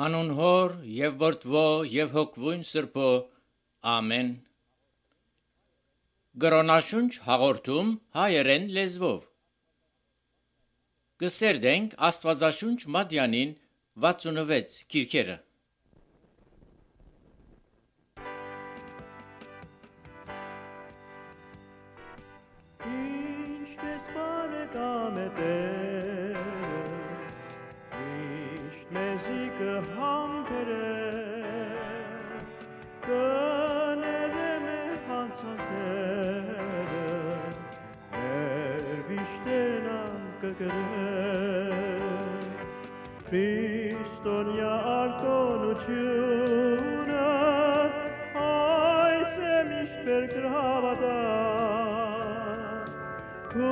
Հանուն Հոր եւ Որդվո եւ Հոգվույն Սրբո, ամեն։ Գրոնաշունչ հաղորդում հայերեն լեզվով։ Կսերդենք Աստվածաշունչ Մատյանին 66 գիրքերը։ Քրիստոնյա արտոնությունը այս է միշտ կրկրավատա քո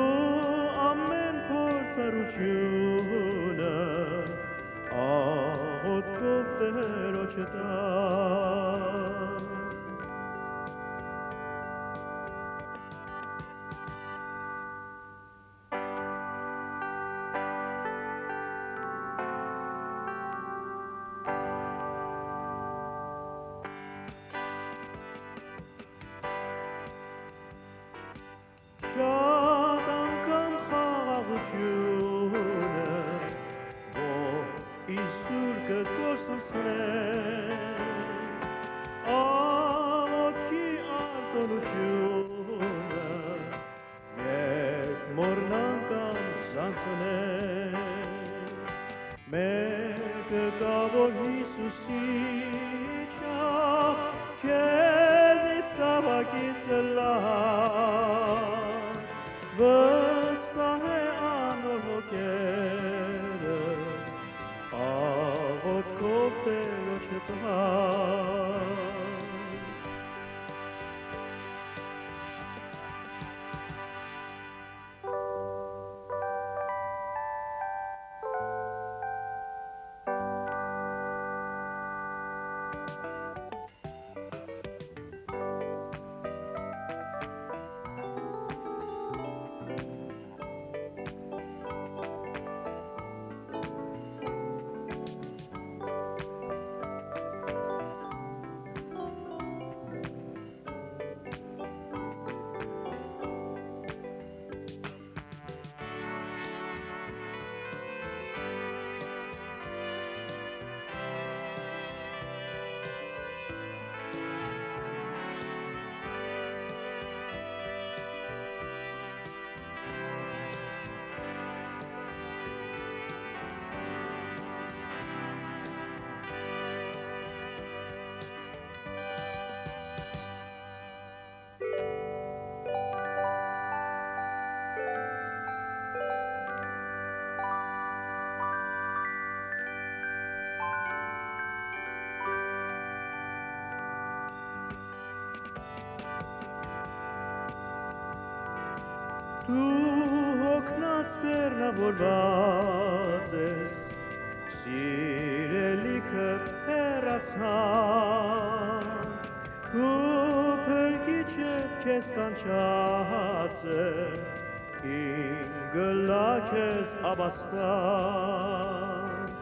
ամեն փորձառությունը աղոթքով Տերոջը տա Շատ անգամ խաղաղությունը որ Իսուր կկորսնցնեն աղոթքի արտոնությունը երբ մորնան կամ զանցնեն մեկը կա որ Հիսուսիչա քեզից ցավակից վստահ է անոր հոգերը աղոթքով Տերոջը տա Դու հոգնած բեռնավորված ես, սիրելիքը հեռացան, քո փրկիչը քեզ կանչած է, ինգլա քեզ ապաստան,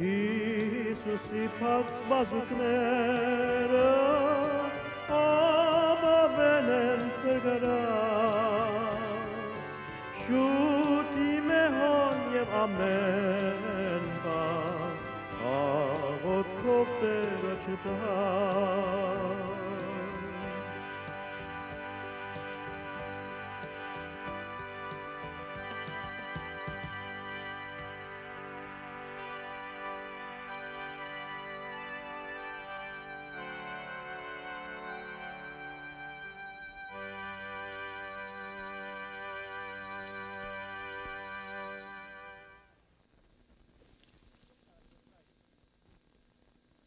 Հիսուսի փակ բազուկները ապավել են փրկարան, Շուտի մեհոն և ամեն բան աղոթքով Տերոջը տա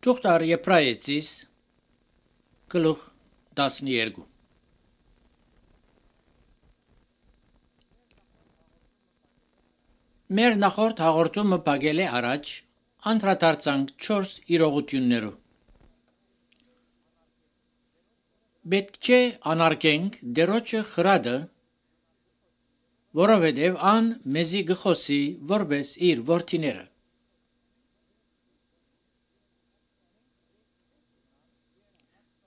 Թուղթար Եբրայեցիս գլուխ 12 Մեր նախորդ հաղորդումը բագել է առաջ անդրադարձանք 4 իրողություններով Պետք չէ անարգենք դերոջը խրադը, որովհետև ան մեզի գխոսի որպես իր որդիները։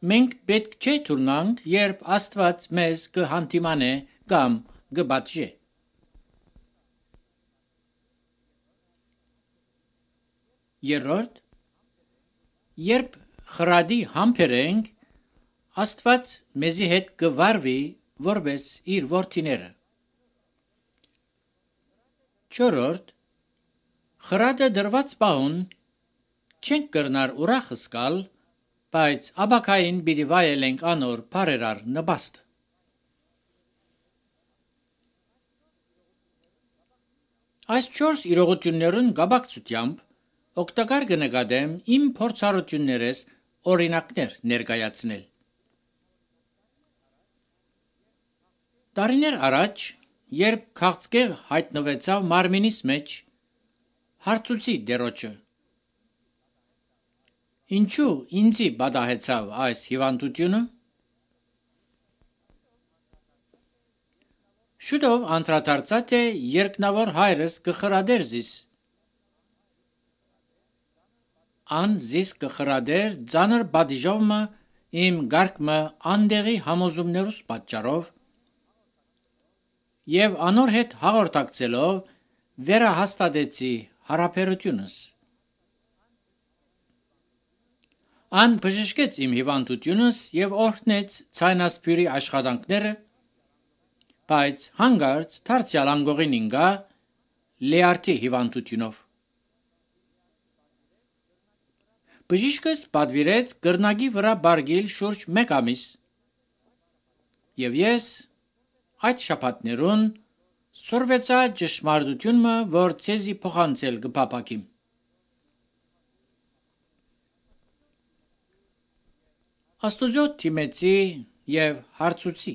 Մենք պետք չէ թույլանք, երբ Աստված մեզ կհանդիմանե կամ կպատժե։ Երրորդ, երբ խրադի համբեր ենք, Աստված մեզի հետ կվարվի որպես իր որդիները։ Չորրորդ, խրադը դրված պահուն չենք կրնար ուրախ սկալ, բայց աբակային պիտի վայելենք անոր բարերար նպաստ։ Այս 4 իրողություններուն գաբակցությամբ օգտակար կնկատեմ իմ փորձառություններս օրինակներ ներկայացնել։ Տարիներ առաջ, երբ քաղցկեղ հայտնվեցավ մարմինիս մեջ, հարցուցի դերոջը. ինչու ինձի պատահեցավ այս հիվանդությունը։ Շուտով անդրադարձա, թե երկնավոր հայրս կխրադեր զիս։ Ան զիս կխրադեր ծանր պատիժովը իմ գարկմը անդեղի համոզումներուս պատճառով և անոր հետ հաղորդակցելով վերահաստատեցի հարաբերությունս։ Ան բժշկեց իմ հիվանդությունս և օրհնեց ցայնասպյուրի աշխատանքները, բայց հանկարծ դարձյալ անգողին ինգա լեարտի հիվանդությունով։ Բժիշկս պատվիրեց կրնակի վրա բարգիլ շուրջ 1 ամիս, և ես այդ շաբաթներուն սորվեցա ճշմարտությունը, որ ցեզի փոխանցել կփափակիմ։ Աստուծո թիմեցի և հարցուցի.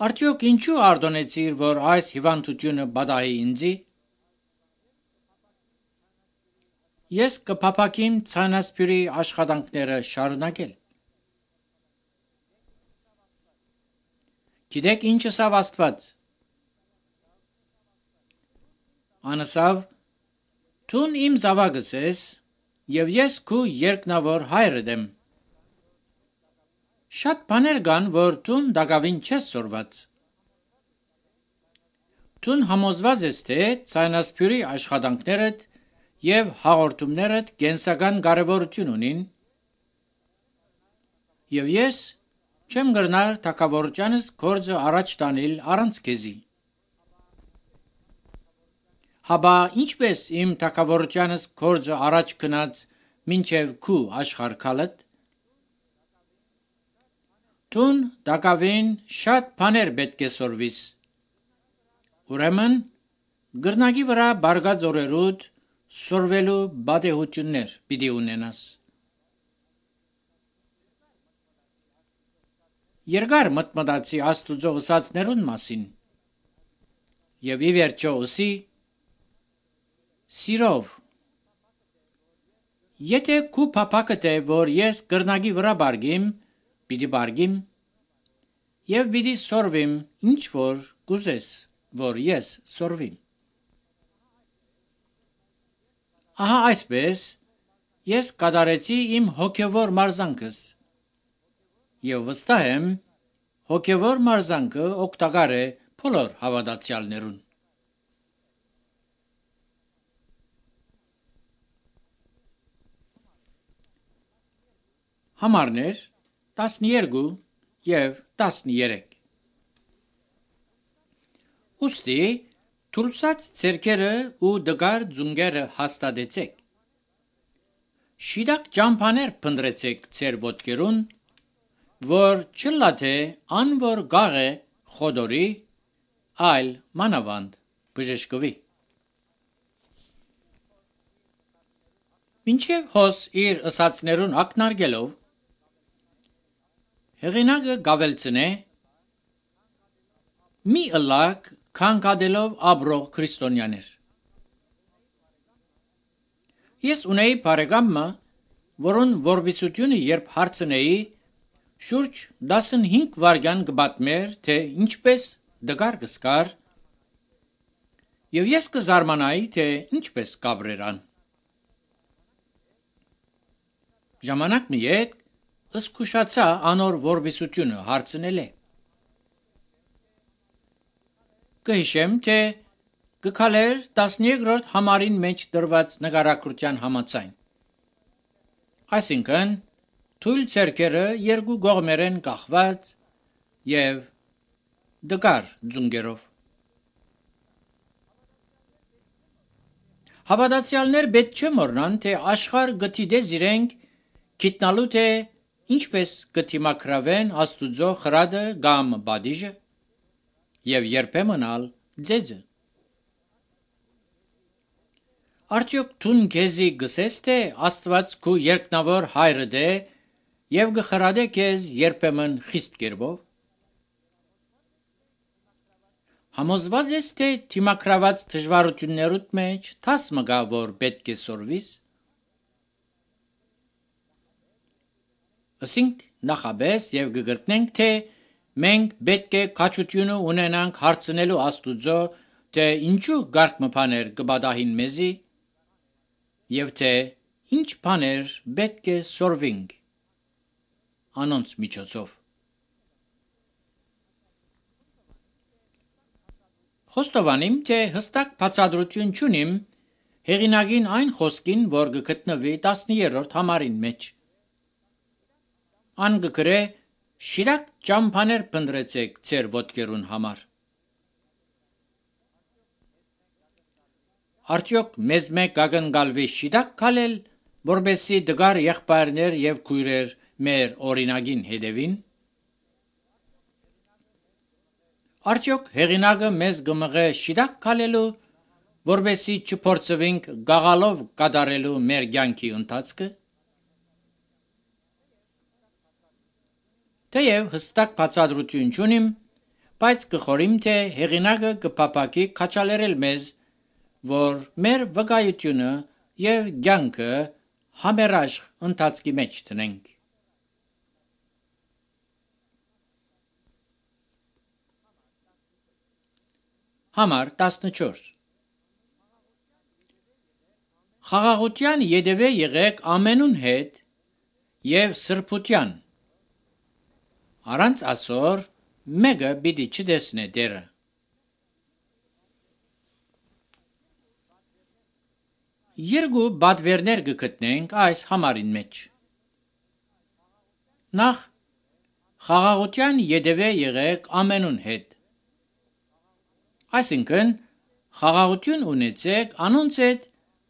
արդյոք ինչու արտոնեցիր, որ այս հիվանդությունը պատահի ինձի։ Ես կփափակիմ ցայնասպյուրի աշխատանքները շարունակել։ Գիտեք ինչ ասավ Աստված։ Անասավ. «Դուն իմ զավակս ես, և ես քու երկնավոր հայրդ եմ»։ Շատ բաներ կան, որ դուն դակավին չես սորված։ Դուն համոզված ես, թե ցայնասպյուրի աշխատանքներդ և հաղորդումներդ կենսական կարևորություն ունին, և ես չեմ կրնար թագավորությանս գործը առաջ տանել առանց քեզի։ Հապա ինչպես իմ թագավորությանս գործը առաջ գնաց մինչև քու աշխարհ գալդ։ Դուն դակավին շատ բաներ պետք է սորվիս։ Ուրեմն գրնակի վրա բարգած օրերուդ սորվելու պատեհություններ պիտի ունենաս։ Երկար մտմտացի Աստուծո ուսացներուն մասին և ի վերջո ուսի. սիրով, եթե քու փափակդ է, որ ես կրնակի վրա բարգիմ, պիտի բարգիմ և պիտի սորվիմ, ինչ որ կուզես, որ ես սորվիմ։ Ահա այսպես ես կատարեցի իմ հոգևոր մարզանքս և վստահ եմ, հոգևոր մարզանքը օգտակար է բոլոր հավատացյալներուն։ Համարներ 12 և 13 Ուստի թուլսած ցերկերը ու դգար ձունգերը հաստատեցեք։ Շիդակ ճամփաներ փնտրեցեք ցեր ոտքերուն, որ չլա թե անոր գաղ է խոդորի, այլ մանավանդ բժշկվի։ Մինչև հոս իր ըսածներուն ակնարկելով, հեղինակը գավելցնե. մի ըլլակ քանքադելով ապրող քրիստոնյաներ։ Ես ունեի բարեկամը, որուն որբիսությունը երբ հարցնեի, շուրջ 15 վայրկյան կպատմեր, թե ինչպես դգար կսկար, և ես կզարմանայի, թե ինչպես կաբրեր ան։ Ժամանակ մի ետ զգուշացա անոր որբիսությունը հարցնել է։ Կհիշեմ, թե գքալեր 13-րդ համարին մեջ դրված նկարագրության համաձայն։ Այսինքն, թույլ ցերկերը երկու կողմերեն կախված եւ դկար ձունգերով։ Հավատացյալներ պետք չէ մոռնան, թե աշխարհ գտիդես իրենք գիտնալու թե ինչպես կդիմակրավեն Աստուծո խրադը կամ բադիժը եւ երբեմն ալ ձեզը։ Արդյոք դու քեզի գսես թե Աստված քու երկնավոր հայրը դե եւ գխրադե քեզ երբեմն խիստ կերպով։ Համոզված ես թե դիմակրաված դժվարություններուդ մեջ դաս մգա որ պետք է սորվիս։ Ասինք նախաբես եւ կգրտնենք թե մենք պետք է քաջությունը ունենանք հարցնելու Աստուծո թե ինչու գարկ մփաներ կբադահին մեզի եւ թե ինչ բաներ պետք է սորվինք անոնց միջոցով։ Խոստովանիմ, թե հստակ բացատրություն չունիմ հեղինակին այն խոսքին, որ կգտնվի 13-րդ համարին մեջ։ Ան կգրե շիրակ ճամփաներ փնտրեցեք ձեր ոտքերուն համար։ Արդյոք մեզ մեկ կագնգալվի շիրակ քալել, որբեսի դգար եղբայրներ եւ քույրեր մեր օրինագին հետևին։ Արդյոք հեղինակը մեզ գմղե շիրակ քալելու, որբեսի չփորձվենք գաղալով կատարելու մեր կյանքի ընթացքը։ Թեև հստակ բացատրություն չունիմ, բայց կխորիմ, թե հեղինակը կփապակի քաչալերել մեզ, որ մեր վկայությունը եւ կյանքը համերաշխ ընթացքի մեջ տնենք։ Համար 14 Խաղաղության յետևե եղեք ամենուն հետ եւ սրբության։ Առանց ասոր մեկը պիտի չտեսնե դերը։ Երկու բադվերներ կգտնենք այս համարին մեջ։ Նախ խաղաղության յետևե եղեք ամենուն հետ։ Այսինքն խաղաղություն ունեցեք անոնց հետ,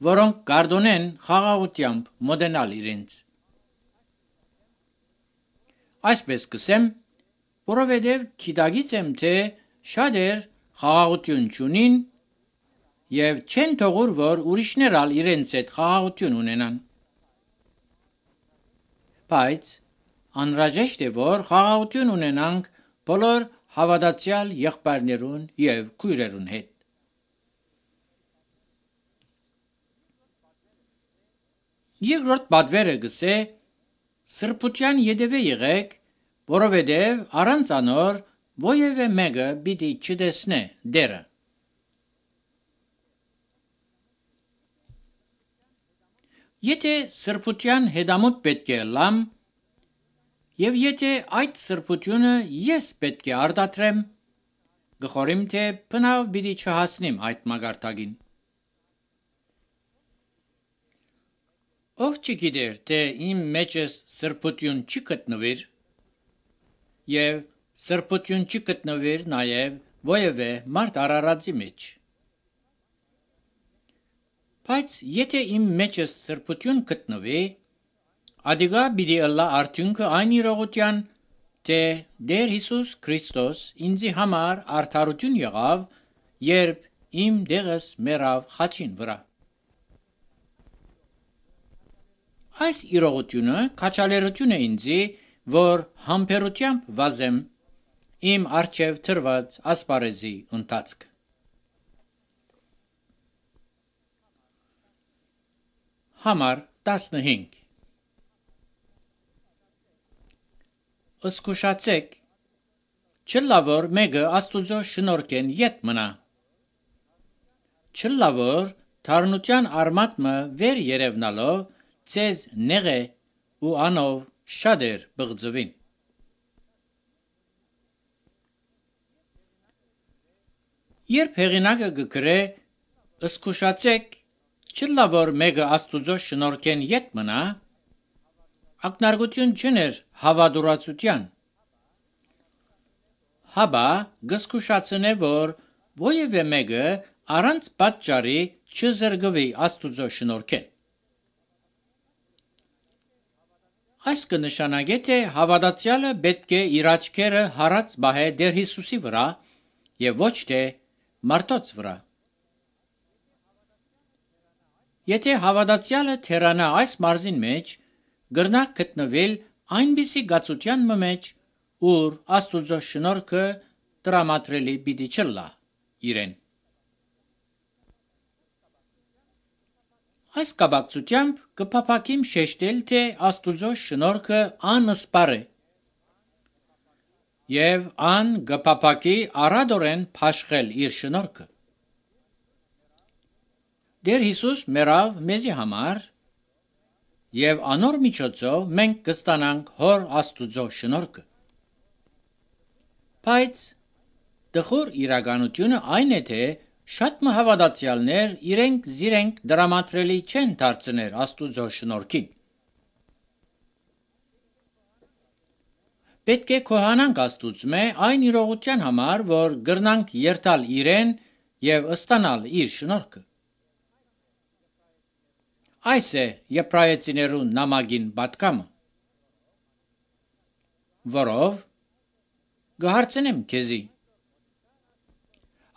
որոնք կարդոնեն խաղաղությամբ մոդենալ իրենց։ Այսպես կսեմ, որովհետև գիտագից եմ, թե շատեր խաղաղություն չունին եւ չեն թողուր, որ ուրիշներ ալ իրենց հետ խաղաղություն ունենան։ Բայց անհրաժեշտ է, որ խաղաղություն ունենանք բոլոր հավատացյալ եղբայրներուն եւ քույրերուն հետ։ Երկրորդ բադվերը գսե սրբության յետևե եղեք, որովհետև առանց անոր ովևէ մեկը պիտի չտեսնե դերը։ Եթե սրբության հետամուտ պետք է լամ, եւ եթե այդ սրբությունը ես պետք է արտադրեմ, գխորիմ, թե բնավ պիտի չհասնիմ այդ մագարտակին։ Ով չգիտեր, թե իմ մեջս սրբություն չի գտնվիր, եւ սրբություն չի գտնվիր նաեւ ովևէ մարդ արարածի մեջ։ Բայց եթե իմ մեջս սրբություն գտնվի, ադիգա պիտի ըլլա արդյունքը այն իրողության, թե Տեր Հիսուս Քրիստոս ինձի համար արդարություն եղավ, երբ իմ դեղս մեռավ խաչին վրա։ Այս իրողությունը քաչալերություն է ինձի, որ համբերությամբ վազեմ իմ առջև թրված ասպարեզի ընթացքը։ Համար 15 Զգուշացեք, չլա որ մեկը Աստուծո շնորհքեն ետ մնա։ Չլա որ թարնության արմատը վեր երևնալով ցեզ նեղե ու անով շատ էր բղձվին։ Երբ հեղինակը գկրե «Ըսկուշացեք, չլա որ մեկը Աստուծո շնորհքեն ետ մնա», ակնարկություն չուներ հավատուրացության։ Հաբա գսկուշացնե որ ովևէ մեկը առանց պատճառի չզրգվի Աստուծո շնորհքեն։ Այս կնշանակե թե հավատացյալը պետք է իր աչքերը հառած բահե Տեր Հիսուսի վրա եւ ոչ թե մարդոց վրա։ Եթե հավատացյալը թերանա այս մարզին մեջ, գրնա գտնվել այնպիսի գացության մեջ, ուր Աստուծո շնորհքը տրամադրելի պիտի չլա իրեն։ Այս կապակցությամբ կփափակիմ շեշտել, թե Աստուծո շնորհքը անսպար է եւ ան կփափակի առադորեն փաշխել իր շնորհքը։ Տեր Հիսուս մեռավ մեզի համար եւ անոր միջոցով մենք կստանանք Հոր Աստուծո շնորհքը։ Բայց դխուր իրականությունը այն է, թե շատ հավատացյալներ իրենք դրամատրելի չեն դարձնել Աստուծո շնորհքին։ Պետք է քոհանանք Աստուծմե այն իրողության համար, որ գրնանք երթալ իրեն եւ ստանալ իր շնորհքը։ Այս է Եբրայեցիներու նամակին պատկամը, որով գահարցնեմ քեզի։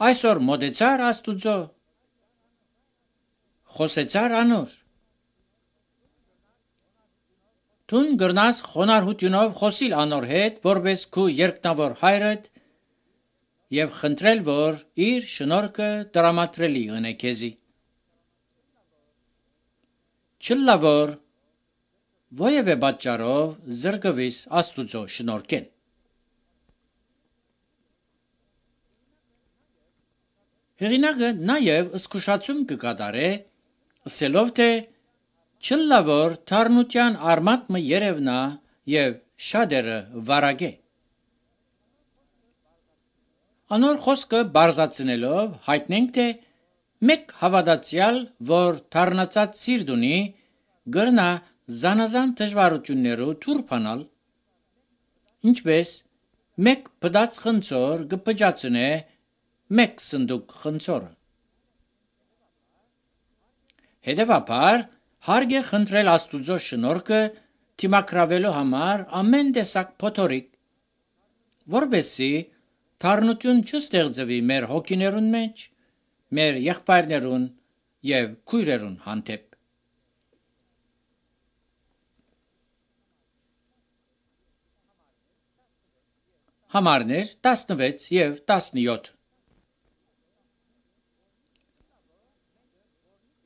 Այսօր մոտեցար Աստուծո, խոսեցար անոր։ Տուն գրնաս խոնարհությունով խոսիլ անոր հետ, որպես քու երկնավոր հայրդ եւ խնդրել, որ իր շնորհքը տրամադրելի ընե քեզի։ Չլա որ ովևէ պատճառով զրկվիս Աստուծո շնորհքեն։ Հեղինակը նաև զսկուշացում կկատարե, ասելով թե չլա որ թարնության արմատը երևնա եւ շատերը վարագե։ Անոր խոսքը բարձացնելով հայտնենք, թե մեկ հավատացյալ, որ թարնացած սիրտ ունի, գրնա զանազան դժվարություններով թուրփանալ, ինչպես մեկ բդած խնձոր կփճացնե մեկ սնդուկ խնձորը։ Հետևաբար հարկ է խնդրել Աստուծո շնորհքը թիմակրավելու համար ամեն տեսակ փոթորիկ, որպեսզի թարնություն չստեղծվի մեր հոգիներուն մեջ, մեր եղբայրներուն եւ քույրերուն հանդեպ։ Համարներ 16 եւ 17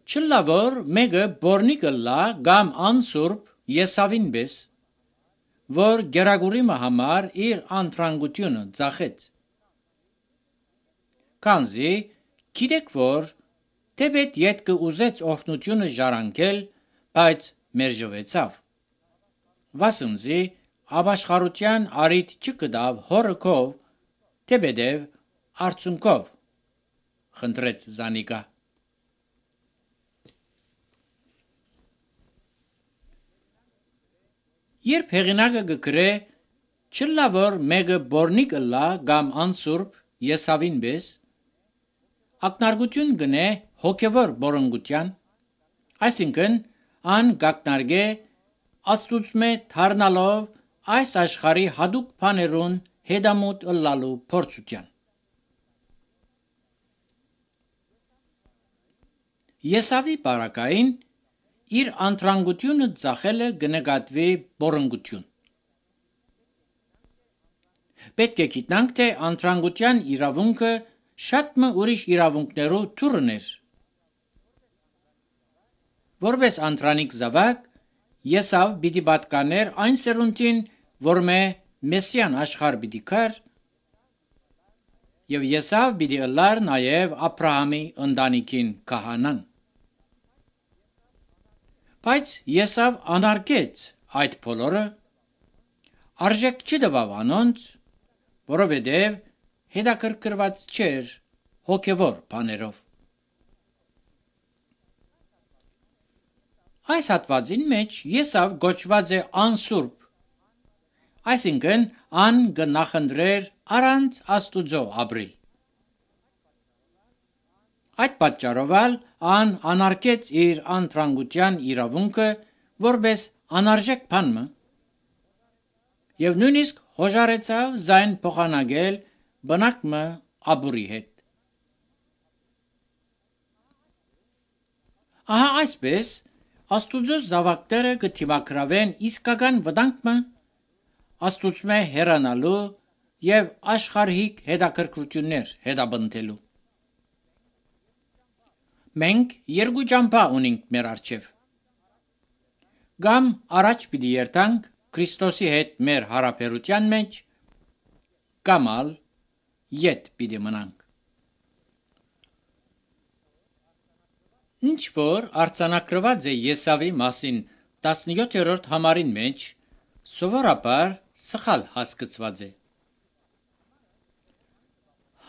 Չլա որ մեկը բորնիկը լա կամ անսուրբ Եսավին պես, որ գերագուրիմը համար իր անտրանգությունը ծախեց։ Քանզի գիտեք որ թեպետ ետքը ուզեց օրհնությունը ժառանգել, բայց մերժվեցավ։ Վասնզի ապաշխարության արիթ չկդավ հորը քով, թեպետև արցունքով խնդրեց զանիկա։ Երբ հեղինակը գկրե չլա որ մեկը բորնիկը լա կամ անսուրբ Եսավին պես, ակնարկություն գնե հոգևոր բորոնգության, այսինքն ան գակնարգե Աստուծմե թարնալով այս աշխարհի հadouk բաներուն հետամուտ ըլլալու փորձության։ Եսավի բարակային իր անտրանգությունը ծախելը կնկատվի բորոնգություն։ Պետք է գիտնանք, թե անտրանգության իրավունքը շատ ուրիշ իրավունքներով թուրն էր։ Որպես անտրանիկ զավակ, Եսավ պիտի պատկաներ այն սերունդին, որ Մեսիան աշխարհ պիտի գար, եւ Եսավ պիտի ըլլար նաեւ Աբրահամի ընտանիքին քահանան։ Բայց Եսավ անարգեց այդ բոլորը Արժեք չդվավ անոնց, որովհետև հետաքրքրված չէր հոգևոր բաներով։ Այս հատվածին մեջ Եսավ գոչված է անսուրբ, այսինքն ան կնախընտրեր առանց Աստուծո ապրիլ։ Այդ պատճառով ան անարգեց իր անտրանգության իրավունքը որպես անարժեք բան եւ նույնիսկ հոժարեցավ զայն փոխանակել բնակմը ապուրի հետ։ Ահա այսպես Աստուծո զավակները կթիմակրավեն իսկական վտանգը Աստուծմե հեռանալու եւ աշխարհիկ հետաքրքրություններ հետապնդելու։ Մենք երկու ճամփա ունենք մեր առջև։ Կամ առաջ պիտի երթանք Քրիստոսի հետ մեր հարաբերության մեջ, կամ ետ պիտի մնանք։ Ինչ որ արձանագրված է Եսավի մասին 17-րդ համարին մեջ, սովորաբար սխալ հասկացված է։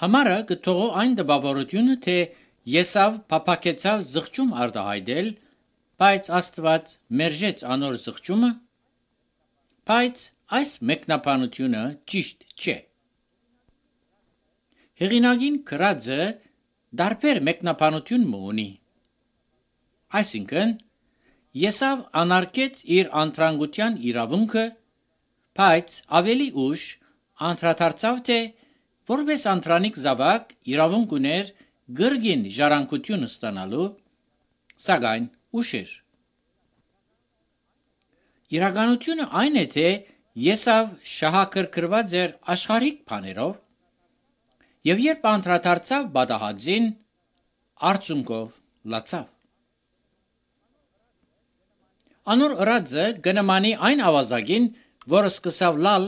Համարը կթողո այն տպավորությունը, թե Եսավ փափակեցավ զղջում արտահայտել, բայց Աստված մերժեց անոր զղջումը, բայց այս մեկնաբանությունը ճիշտ չէ։ Հեղինակին գրածը դարբեր մեկնաբանություն ունի։ Այսինքն, Եսավ անարգեց իր անտրանգության իրավունքը, բայց ավելի ուշ անդրադարձավ, թե որպես անդրանիկ զավակ իրավունք ուներ գրգին ժառանգություն ստանալու, սակայն ուշ էր։ Իրականությունը այն է, թե Եսավ շահագրգռված էր աշխարհիկ բաներով, եւ երբ անդրադարձավ պատահածին, արդյունքով լացավ։ Անոր ըրածը կնմանի այն ավազակին, որը սկսավ լալ,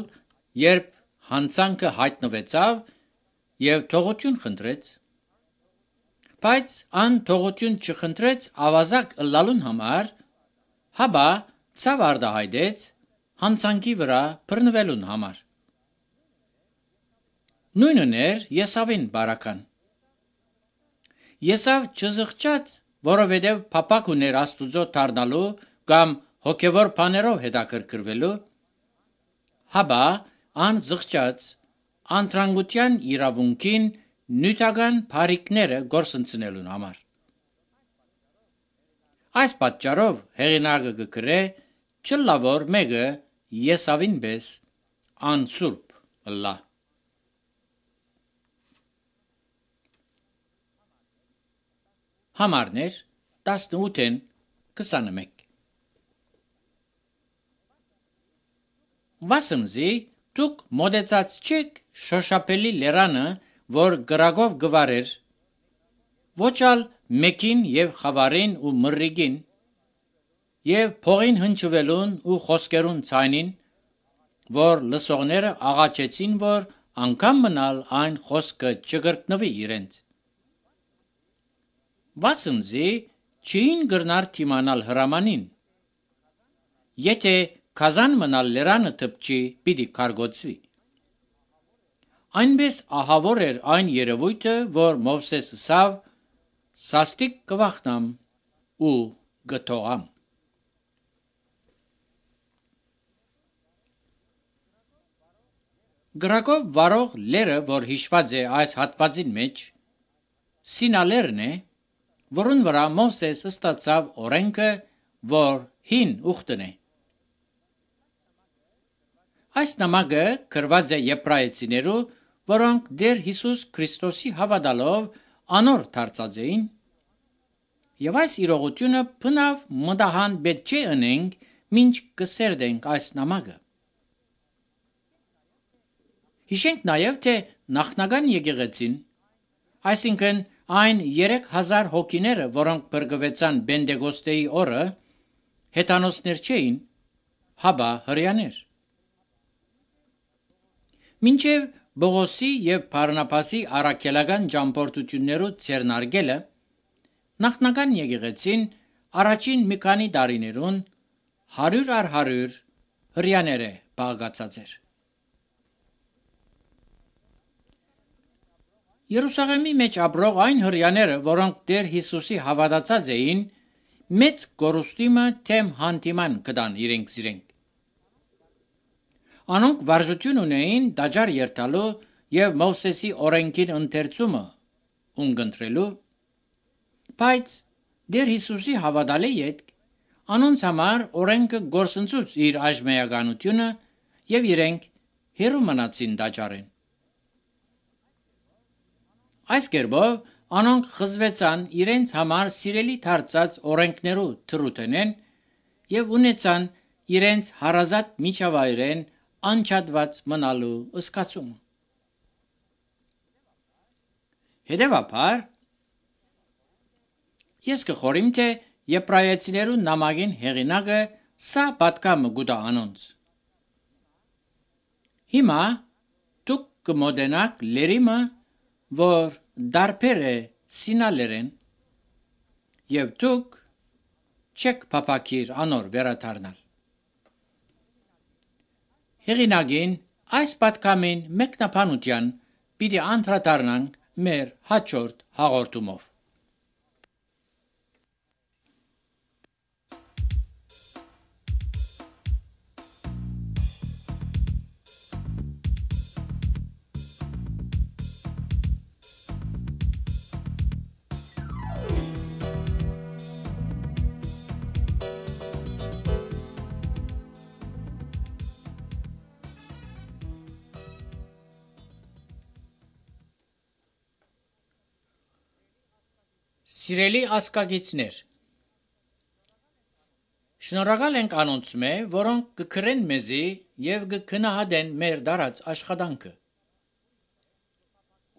երբ հանցանքը հայտնվեցավ եւ թողություն խնդրեց, բայց ան թողություն չխնդրեց ավազակ լալուն համար, հաբա ցավ արտահայտեց հանցանքի վրա բռնվելուն համար։ Նույնն էր Եսավին բարական։ Եսավ չզղջաց, որովհետև փափակ ուներ Աստուծո դառնալու կամ հոգևոր բաներով հետաքրքրվելու, հաբա ան զղջաց անտրանգության իրավունքին նյութական բարիքները գործընծնելուն համար։ Այս պատճառով հեղինակը կգրե չլա որ մեկը Եսավին պես անսուրբ լա։ Համարներ 18-ն 21 Վասնզի դուք մոդեցած չեք շոշափելի լերանը, որ գրագով գվարեր, ոչալ մեկին եւ խավարին ու մռիգին, եւ փողին հնչվելուն ու խոսքերուն ցայնին, որ լսողները աղաչեցին, որ անգամ մնալ այն խոսքը չգրկնվի իրենց։ Վասնզի չին գրնար թիմանալ հրամանին, եթե Քազան մնալ լերանը թպչի պիտի կարգոցվի։ Այնպես ահավոր էր այն երևույթը, որ Մովսես ասավ, սաստիկ կվախնամ ու գթողամ։ Գրակով վարող լերը, որ հիշված է այս հատվածին մեջ, Սինալերն է, որուն վրա Մովսես ստացավ օրենքը, որ հին ուխտն է։ Այս նամակը գրված է եբրայեցիներու, որոնք դեր Հիսուս Քրիստոսի հավատալով անոր դարձած էին, եւ այս իրողությունը բնավ մտահան պետք չէ ընենք, մինչ կսերդենք այս նամակը։ Հիշենք նաեւ, թե նախնական եկեղեցին, այսինքն այն 3000 հոգիները, որոնք բրգվեցան Պենտեկոստեի օրը, հեթանոսներ չէին, հաբա հրեաներ։ Մինչև Բողոսի եւ Բարնաբասի առաքելական ճամփորդություններու ցերնարգելը, նախնական եկեղեցին առաջին մի քանի տարիներուն 100 առ 100 հրեաներ է փաղացած էր։ Երուսաղեմի մեջ ապրող այն հրյաները, որոնք Տեր Հիսուսի հավատացած էին, մեծ կորուստիմը թեմ հանդիման կդան իրենք։ Անոնք վարժություն ունեին դաջար երթալու եւ Մովսեսի օրենքին ընթերցումը ունգընտրելու, բայց Տեր Հիսուսի հավատալի յետք անոնց համար օրենքը գործընծուց իր այժմեականությունը եւ իրենք հերու մնացին դաջարեն։ Այս կերպով անոնք խզվեցան իրենց համար սիրելի դարձած օրենքներու թրութենեն եւ ունեցան իրենց հարազատ միջավայրեն անչադված մնալու ըսկացում։ Հետևաբար ես կխորիմ թե Եբրայեցիներու նամակին հեղինակը սա պատկամը գուտա անոնց։ Հիմա դուք կմոտենաք լերիմը, որ դարբեր է սինալերեն, եւ դուք չեք փապակիր անոր վերադառնալ։ Հեղինակին այս պատկամին մեկնաբանության պիտի անդրադառնանք մեր հաջորդ հաղորդումով։ Սիրելի ասկագիցներ, շնորհակալ ենք անոնցմե, որոնք կգրեն մեզի եւ կգնահատեն մեր դարած աշխատանքը։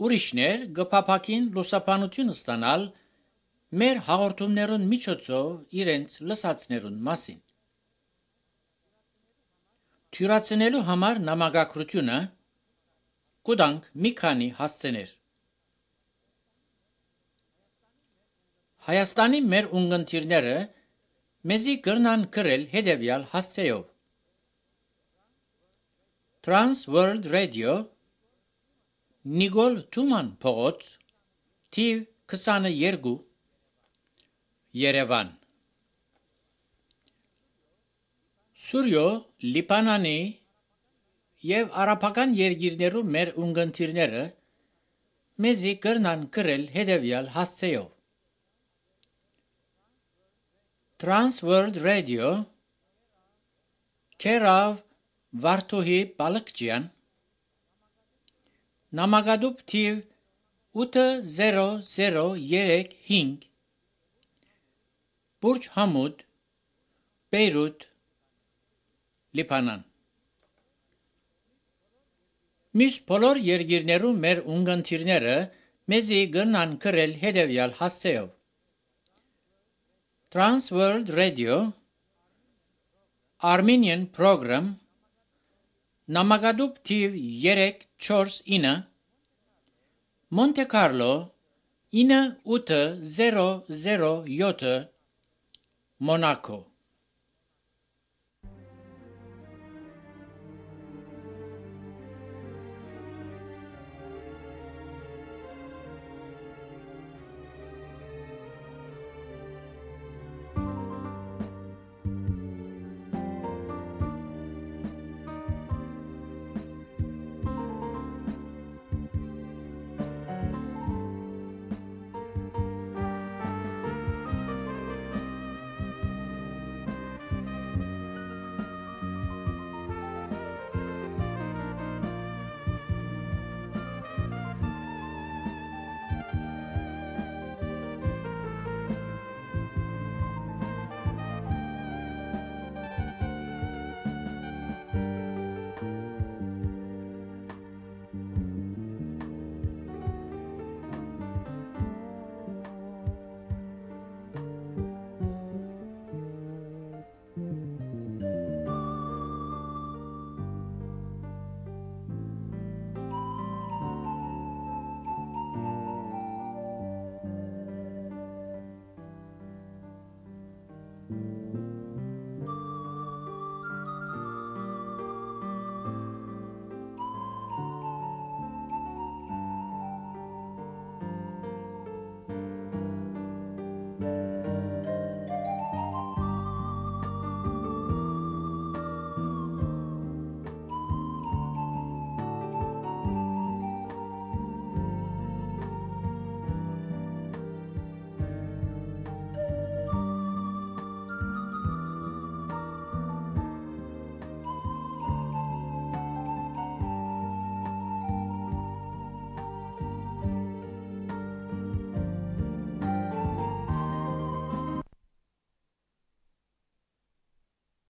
Ուրիշներ կփափակին լուսաբանություն ստանալ մեր հաղորդումներուն միջոցով իրենց լսածներուն մասին։ Թյուրացնելու համար նամակագրությունը կուտանք մի քանի հասցեներ։ Հայաստանի մեր ունգընտիրները մեզի կրնան գրել հետևյալ հասցեով. Trans World Radio, Նիկոլ Թուման փողոց, թիվ 22, Երևան։ Սուրյո, Լիբանանի եւ արաբական երկիրներու մեր ունգընտիրները մեզի կրնան գրել հետևյալ հասցեով. Trans World Radio, Kerav Վարդուհի Բալկջյան, նամակադուփ թիվ 80035, Բուրջ Համուդ, Բեյրութ, Լիբանան։ Մյուս բոլոր երկիրներու մեր ունգընտիրները մեզի կրնան գրել հետևյալ հասցեով. Trans World Radio, Armenian Program, նամակադուփ թիվ 349, Monte Carlo 9807, Monaco։